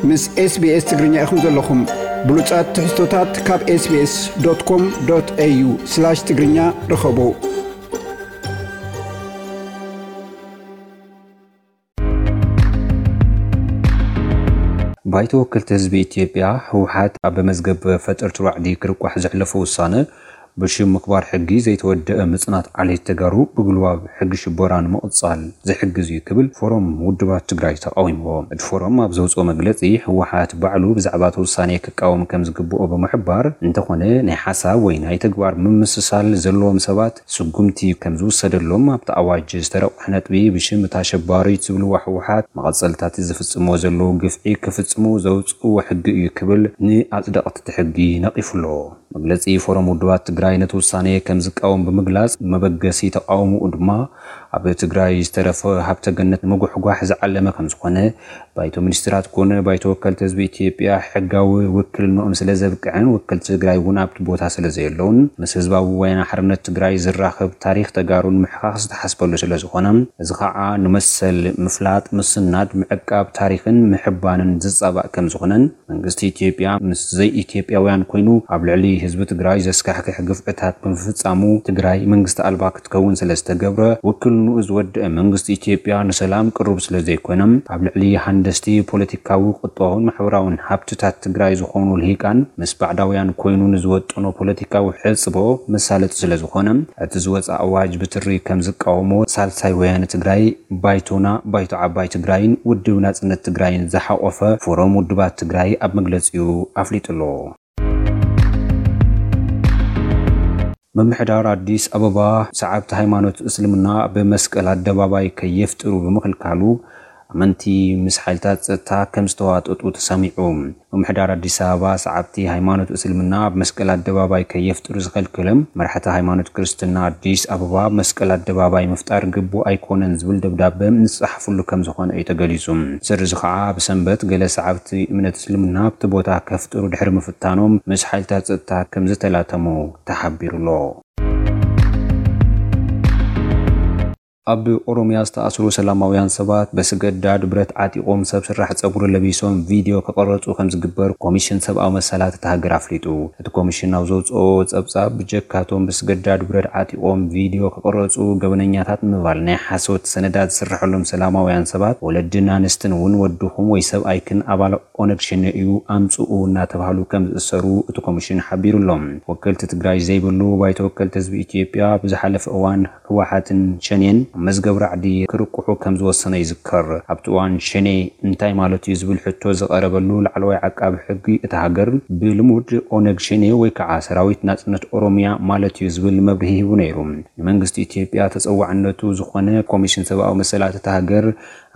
ምስ SBS ትግርኛ ኢኹም ዘለኹም። ብሉጻት ትሕዝቶታት ካብ SBS.com.au/ትግርኛ ርኸቡ። ባይቶ ወከልቲ ህዝቢ ኢትዮጵያ፣ ህወሓት፣ ኣብ መዝገብ ፈጠርቲ ራዕዲ ክርቋሕ ዘሕለፎ ውሳነ፣ ብሽም ምኽባር ሕጊ ዘይተወደአ ምጽናት ዓሌት ተጋሩ ብጉልባብ ሕጊ ሽበራ ንምቕጻል ዝሕግዝ እዩ ክብል ፎረም ውድባት ትግራይ ተቓዊምዎ። እቲ ፎረም ኣብ ዘውፅኦ መግለፂ፣ ህወሓት ባዕሉ ብዛዕባ እቲ ውሳኔ ክቃወም ከም ዝግብኦ ብምሕባር፣ እንተኾነ ናይ ሓሳብ ወይ ናይ ተግባር ምምስሳል ዘለዎም ሰባት ስጉምቲ ከም ዝውሰደሎም ኣብቲ ኣዋጅ ዝተረቑሐ ነጥቢ፣ ብሽም እታ ኣሸባሪት ዝብልዋ ህወሓት መቐጸልታት ዝፍጽምዎ ዘለዉ ግፍዒ ክፍጽሙ ዘውፅእዎ ሕጊ እዩ ክብል ንኣጽደቕቲ እቲ ሕጊ ነቒፉ ኣሎ። መግለጺ ፎረም ውድባት ትግራይ ነቲ ውሳኔ ከም ዝቃወም ብምግላጽ፣ መበገሲ ተቓውሞኡ ድማ ኣብ ትግራይ ዝተረፈ ሃብተ ገነት ንምጉሕጓሕ ዝዓለመ ከም ዝኾነ፣ ባይቶ ሚኒስትራት ኮነ ባይቶ ወከልቲ ህዝቢ ኢትዮጵያ ሕጋዊ ውክልንኦም ስለ ዘብቅዐን፣ ወከልቲ ትግራይ እውን ኣብቲ ቦታ ስለ ዘየለውን፣ ምስ ህዝባዊ ወያነ ሓርነት ትግራይ ዝራኸብ ታሪኽ ተጋሩን ምሕኻኽ ዝተሓስበሉ ስለ ዝኾነ፣ እዚ ኸዓ ንመሰል ምፍላጥ፣ ምስናድ፣ ምዕቃብ ታሪኽን ምሕባንን ዝጻባእ ከም ዝኾነን፣ መንግስቲ ኢትዮጵያ ምስ ዘይኢትዮጵያውያን ኮይኑ ኣብ ልዕሊ ህዝቢ ትግራይ ዘስካሕክሕ ግፍዕታት ብምፍጻሙ፣ ትግራይ መንግስቲ ኣልባ ክትከውን ስለ ዝተገብረ፣ ውክልንኡ ዝወደአ መንግስቲ ኢትዮጵያ ንሰላም ቅሩብ ስለ ዘይኮነ፣ ኣብ ልዕሊ ሃንደስቲ ፖለቲካዊ፣ ቁጠባውን ማሕበራውን ሃብትታት ትግራይ ዝኾኑ ልሂቃን ምስ ባዕዳውያን ኮይኑ ንዝወጠኖ ፖለቲካዊ ሕጽቦ መሳለጢ ስለ ዝኾነ፣ እቲ ዝወፀ ኣዋጅ ብትሪ ከም ዝቃወሞ ሳልሳይ ወያነ ትግራይ፣ ባይቶና፣ ባይቶ ዓባይ ትግራይን ውድብ ናጽነት ትግራይን ዝሓቖፈ ፎረም ውድባት ትግራይ ኣብ መግለጺኡ ኣፍሊጡ ኣሎ። ምምሕዳር ኣዲስ ኣበባ ሰዓብቲ ሃይማኖት እስልምና ኣብ መስቀል ኣደባባይ ከየፍጥሩ ብምኽልካሉ፣ ኣመንቲ ምስ ሓይልታት ጸጥታ ከም ዝተዋጠጡ ተሰሚዑ። ምምሕዳር ኣዲስ ኣበባ ሰዓብቲ ሃይማኖት እስልምና ኣብ መስቀል ኣደባባይ ከየፍጥሩ ዝኸልከሎም መራሕቲ ሃይማኖት ክርስትና ኣዲስ ኣበባ፣ ኣብ መስቀል ኣደባባይ ምፍጣር ግቡእ ኣይኮነን ዝብል ደብዳበ ዝጸሓፍሉ ከም ዝኾነ እዩ ተገሊጹ። ስርዚ ኸዓ ብሰንበት ገለ ሰዓብቲ እምነት እስልምና ኣብቲ ቦታ ከፍጥሩ ድሕሪ ምፍታኖም ምስ ሓይልታት ጸጥታ ከም ዝተላተሙ ተሓቢሩ ኣሎ። ኣብ ኦሮሚያ ዝተኣስሩ ሰላማውያን ሰባት ብስገዳድ ብረት ዓጢቖም ሰብ ስራሕ ጸጉሪ ለቢሶም ቪድዮ ክቐረጹ ከም ዝግበር ኮሚሽን ሰብኣዊ መሰላት እታ ሃገር ኣፍሊጡ። እቲ ኮሚሽን ኣብ ዘውጽኦ ጸብጻብ፣ ብጀካቶም ብስገዳድ ብረት ዓጢቖም ቪድዮ ክቐረጹ ገበነኛታት ንምባል ናይ ሓሶት ሰነዳት ዝስርሐሎም ሰላማውያን ሰባት፣ ወለድን ኣንስትን እውን ወድኹም ወይ ሰብኣይክን ኣባል ኦነግ ሸኔ እዩ ኣምጽኡ እናተባህሉ ከም ዝእሰሩ እቲ ኮሚሽን ሓቢሩ ኣሎ። ወከልቲ ትግራይ ዘይብሉ ባይቶ ወከልቲ ህዝቢ ኢትዮጵያ ብዝሓለፈ እዋን ህወሓትን ሸኔን ኣብ መዝገብ ራዕዲ ክርቁሑ ከም ዝወሰነ ይዝከር። ኣብቲ እዋን ሸኔ እንታይ ማለት እዩ ዝብል ሕቶ ዝቐረበሉ ላዕለዋይ ዓቃቢ ሕጊ እታ ሃገር፣ ብልሙድ ኦነግ ሸኔ ወይ ከዓ ሰራዊት ናጽነት ኦሮሚያ ማለት እዩ ዝብል መብርሂ ሂቡ ነይሩ። ንመንግስቲ ኢትዮጵያ ተጸዋዕነቱ ዝኾነ ኮሚሽን ሰብኣዊ መሰላት እታ ሃገር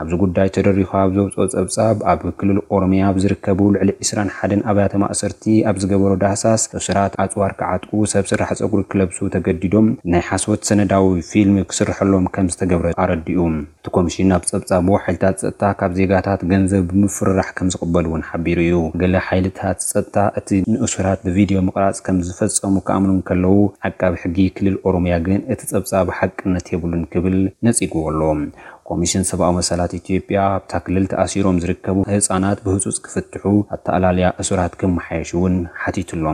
ኣብዚ ጉዳይ ተደሪኹ ኣብ ዘውፅኦ ጸብጻብ፣ ኣብ ክልል ኦሮሚያ ኣብ ዝርከቡ ልዕሊ ዕስራን ሓደን ኣብያተ ማእሰርቲ ኣብ ዝገበሮ ዳህሳስ፣ እሱራት ኣጽዋር ክዓጥቁ፣ ሰብ ስራሕ ጸጉሪ ክለብሱ ተገዲዶም፣ ናይ ሓሶት ሰነዳዊ ፊልም ክስርሐሎም ከም ዝተገብረ ኣረዲኡ። እቲ ኮሚሽን ኣብ ጸብጻቡ፣ ሓይልታት ጸጥታ ካብ ዜጋታት ገንዘብ ብምፍርራሕ ከም ዝቕበሉ እውን ሓቢሩ እዩ። ገለ ሓይልታት ጸጥታ እቲ ንእሱራት ብቪድዮ ምቕራጽ ከም ዝፈጸሙ ክኣምኑ እንከለዉ፣ ዓቃቢ ሕጊ ክልል ኦሮሚያ ግን እቲ ጸብጻብ ሓቅነት የብሉን ክብል ነጺግዎ ኣሎ። ኮሚሽን ሰብኣዊ መሰላት ኢትዮጵያ ኣብታ ክልል ተኣሲሮም ዝርከቡ ህጻናት ብህጹጽ ክፍትሑ፣ ኣተኣላልያ እሱራት ክመሓየሽ እውን ሓቲቱ ኣሎ።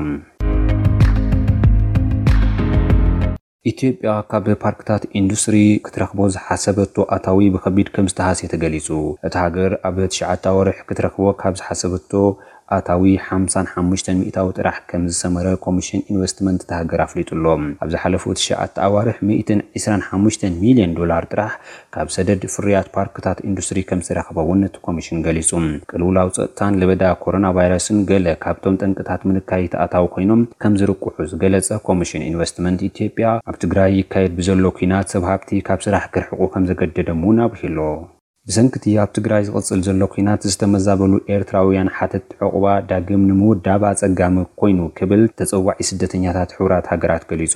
ኢትዮጵያ ካብ ፓርክታት ኢንዱስትሪ ክትረኽቦ ዝሓሰበቶ ኣታዊ ብኸቢድ ከም ዝተሃስየ ተገሊጹ። እታ ሃገር ኣብ ትሽዓተ ወርሒ ክትረኽቦ ካብ ዝሓሰበቶ ኣታዊ ሓምሳን ሓሙሽተን ሚእታዊ ጥራሕ ከም ዝሰመረ ኮሚሽን ኢንቨስትመንት እታ ሃገር ኣፍሊጡ ኣሎ። ኣብ ዝሓለፉ ትሽዓተ ኣዋርሕ ሚእትን ዕስራን ሓሙሽተን ሚልዮን ዶላር ጥራሕ ካብ ሰደድ ፍርያት ፓርክታት ኢንዱስትሪ ከም ዝተረኽበ እውን እቲ ኮሚሽን ገሊጹ። ቅልውላው ጸጥታን ለበዳ ኮሮና ቫይረስን ገለ ካብቶም ጠንቅታት ምንካይ እቲ ኣታዊ ኮይኖም ከም ዝርቁሑ ዝገለጸ ኮሚሽን ኢንቨስትመንት ኢትዮጵያ፣ ኣብ ትግራይ ይካየድ ብዘሎ ኲናት ሰብ ሃብቲ ካብ ስራሕ ክርሕቁ ከም ዘገደዶም እውን ኣብሪሁ ኣሎ። ብሰንኪ እቲ ኣብ ትግራይ ዝቕጽል ዘሎ ኲናት ዝተመዛበሉ ኤርትራውያን ሓተትቲ ዑቕባ ዳግም ንምውዳብ ኣጸጋሚ ኮይኑ ክብል ተጸዋዒ ስደተኛታት ሕቡራት ሃገራት ገሊጹ።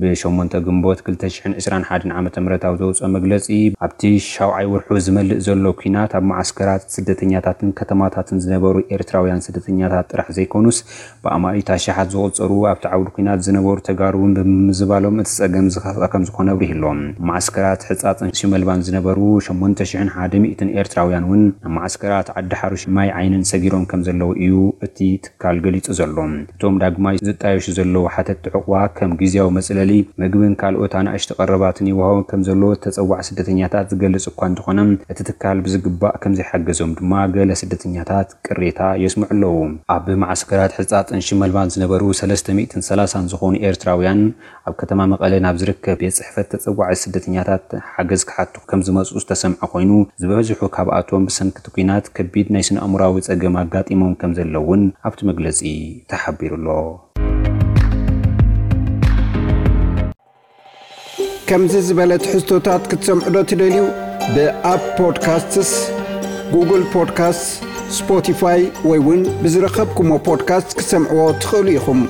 ብ ሸሞንተ ግንቦት ክልተ ሽሕን ዕስራን ሓደን ዓመተ ምህረት ኣብ ዘውጽኦ መግለጺ፣ ኣብቲ ሻውዓይ ወርሑ ዝመልእ ዘሎ ኲናት ኣብ መዓስከራት ስደተኛታትን ከተማታትን ዝነበሩ ኤርትራውያን ስደተኛታት ጥራሕ ዘይኮኑስ፣ ብኣማኢት ኣሽሓት ዝቑጸሩ ኣብቲ ዓውዲ ኲናት ዝነበሩ ተጋሩ እውን ብምምዝባሎም እቲ ጸገም ዝኸፍኣ ከም ዝኾነ ኣብሪሁ ኣሎ። መዓስከራት ሕጻጽን ሽመልባን ዝነበሩ ሸሞንተ ሽሕን ሓደ ሚእትን ኤርትራውያን እውን ኣብ ማዓስከራት ዓዲ ሓሩሽ ማይ ዓይንን ሰጊሮም ከም ዘለዉ እዩ እቲ ትካል ገሊጹ ዘሎ። እቶም ዳግማይ ዝጣየሹ ዘለዉ ሓተትቲ ዕቑባ ከም ግዝያዊ መጽለሊ፣ ምግብን ካልኦት ኣናእሽቲ ቀረባትን ይወሃቦም ከም ዘለዉ ተጸዋዕ ስደተኛታት ዝገልጽ እኳ እንተኾነ፣ እቲ ትካል ብዝግባእ ከም ዘይሓገዞም ድማ ገለ ስደተኛታት ቅሬታ የስምዑ ኣለዉ። ኣብ ማዓስከራት ሕጻጥን ሽመልባን ዝነበሩ ሰለስተ ሚእትን ሰላሳን ዝኾኑ ኤርትራውያን ኣብ ከተማ መቐለ ናብ ዝርከብ ቤት ጽሕፈት ተጸዋዒ ስደተኛታት ሓገዝ ክሓቱ ከም ዝመጹ ዝተሰምዐ ኮይኑ፣ ዝበዝሑ ካብኣቶም ብሰንኪ እቲ ኲናት ከቢድ ናይ ስነ ኣእምሮኣዊ ጸገም ኣጋጢሞም ከም ዘለውን ኣብቲ መግለጺ ተሓቢሩ ኣሎ። ከምዚ ዝበለ ትሕዝቶታት ክትሰምዑ ዶ ትደልዩ? ብኣፕ ፖድካስትስ፣ ጉግል ፖድካስትስ፣ ስፖቲፋይ ወይ እውን ብዝረኸብኩሞ ፖድካስት ክትሰምዕዎ ትኽእሉ ኢኹም።